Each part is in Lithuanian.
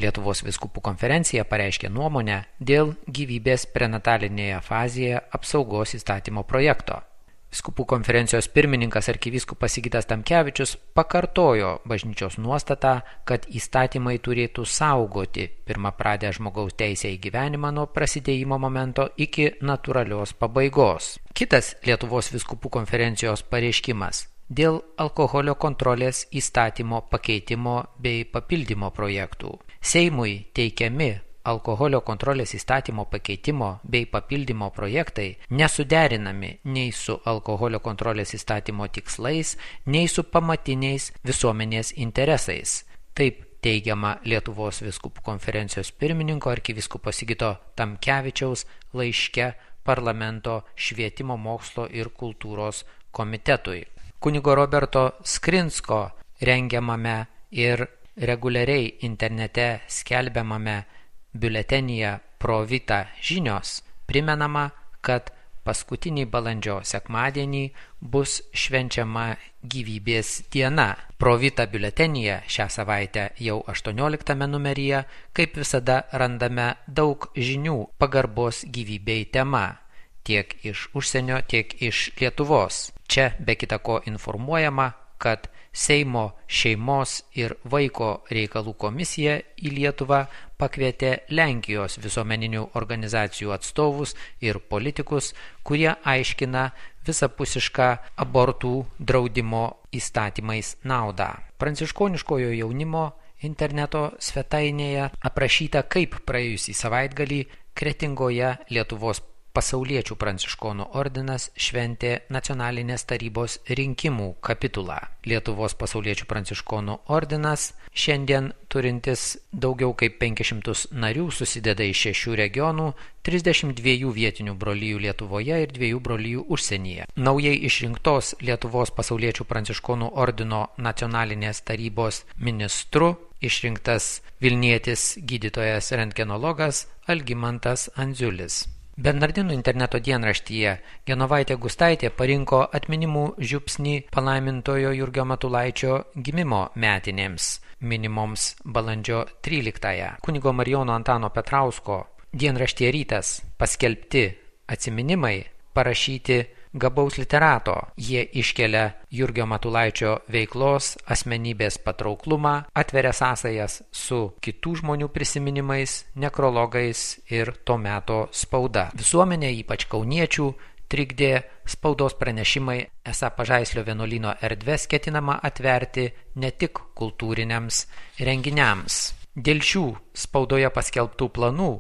Lietuvos vyskupų konferencija pareiškė nuomonę dėl gyvybės prenatalinėje fazėje apsaugos įstatymo projekto. Vyskupų konferencijos pirmininkas arkivyskupas Sigitas Tamkevičius pakartojo bažnyčios nuostatą, kad įstatymai turėtų saugoti pirmapradę žmogaus teisę į gyvenimą nuo prasidėjimo momento iki natūralios pabaigos. Kitas Lietuvos vyskupų konferencijos pareiškimas dėl alkoholio kontrolės įstatymo pakeitimo bei papildymo projektų. Seimui teikiami alkoholio kontrolės įstatymo pakeitimo bei papildymo projektai nesuderinami nei su alkoholio kontrolės įstatymo tikslais, nei su pamatiniais visuomenės interesais. Taip teigiama Lietuvos vyskupų konferencijos pirmininko arkivyskupo Sigito Tamkevičiaus laiške parlamento švietimo, mokslo ir kultūros komitetui. Kunigo Roberto Skrinsko rengiamame ir reguliariai internete skelbiamame biuletenyje Pro Vita žinios primenama, kad paskutinį balandžio sekmadienį bus švenčiama gyvybės diena. Pro Vita biuletenyje šią savaitę jau 18 numeryje, kaip visada, randame daug žinių pagarbos gyvybei tema, tiek iš užsienio, tiek iš Lietuvos. Čia be kita ko informuojama, kad Seimo šeimos ir vaiko reikalų komisija į Lietuvą pakvietė Lenkijos visuomeninių organizacijų atstovus ir politikus, kurie aiškina visapusišką abortų draudimo įstatymais naudą. Pranciškoniškojo jaunimo interneto svetainėje aprašyta, kaip praėjusį savaitgalį Kretingoje Lietuvos pasauliečių pranciškonų ordinas šventė nacionalinės tarybos rinkimų kapitulą. Lietuvos pasauliečių pranciškonų ordinas, šiandien turintis daugiau kaip 500 narių, susideda iš 6 regionų, 32 vietinių brolijų Lietuvoje ir 2 brolijų užsienyje. Naujai išrinktos Lietuvos pasauliečių pranciškonų ordino nacionalinės tarybos ministru išrinktas Vilnietis gydytojas rentgenologas Algimantas Andziulis. Bernardinų interneto dienraštyje Genovaitė Gustaitė parinko atminimų žiupsnį palaimintojo Jurgio Matulaičio gimimo metinėms, minimoms balandžio 13-ąją. Kunigo Marijono Antano Petrausko dienraštyje Rytas paskelbti atsiminimai parašyti gabaus literato. Jie iškelia Jurgio Matulaičio veiklos, asmenybės patrauklumą, atveria sąsajas su kitų žmonių prisiminimais, nekrologais ir to meto spauda. Visuomenė, ypač kauniečių, trikdė spaudos pranešimai, esą Pažaislio vienuolyno erdves ketinama atverti ne tik kultūriniams renginiams. Dėl šių spaudoje paskelbtų planų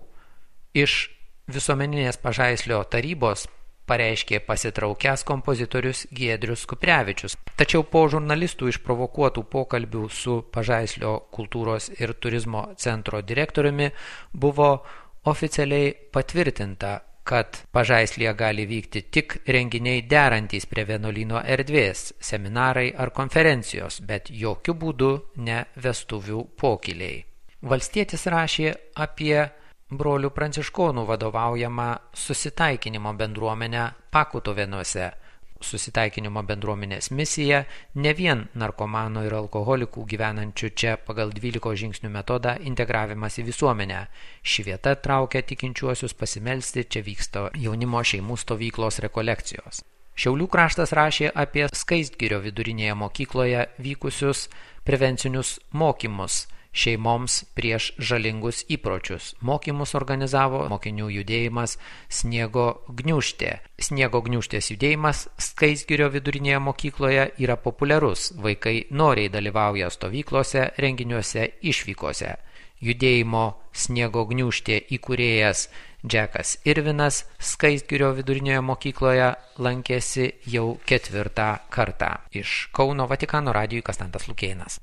iš visuomeninės Pažaislio tarybos pareiškė pasitraukęs kompozitorius Giedrius Kuprevičius. Tačiau po žurnalistų išprovokuotų pokalbių su Pažaislio kultūros ir turizmo centro direktoriumi buvo oficialiai patvirtinta, kad Pažaislyje gali vykti tik renginiai derantys prie vienuolyno erdvės, seminarai ar konferencijos, bet jokių būdų ne vestuvių pokyliai. Valstietis rašė apie brolių pranciškonų vadovaujama susitaikinimo bendruomenę Pakutuvėnuose. Susitaikinimo bendruomenės misija ne vien narkomanų ir alkoholikų gyvenančių čia pagal 12 žingsnių metodą integravimas į visuomenę. Ši vieta traukia tikinčiuosius pasimelsti, čia vyksta jaunimo šeimų stovyklos rekolekcijos. Šiaulių kraštas rašė apie Skaistgirio vidurinėje mokykloje vykusius prevencinius mokymus šeimoms prieš žalingus įpročius. Mokymus organizavo mokinių judėjimas Sniego gniūžtė. Sniego gniūžtės judėjimas Skaistgirio vidurinėje mokykloje yra populiarus. Vaikai noriai dalyvauja stovyklose, renginiuose, išvykose. Judėjimo Sniego gniūžtė įkūrėjas Džekas Irvinas Skaistgirio vidurinėje mokykloje lankėsi jau 4. kartą. Iš Kauno Vatikano radijui Konstantas Lukėnas.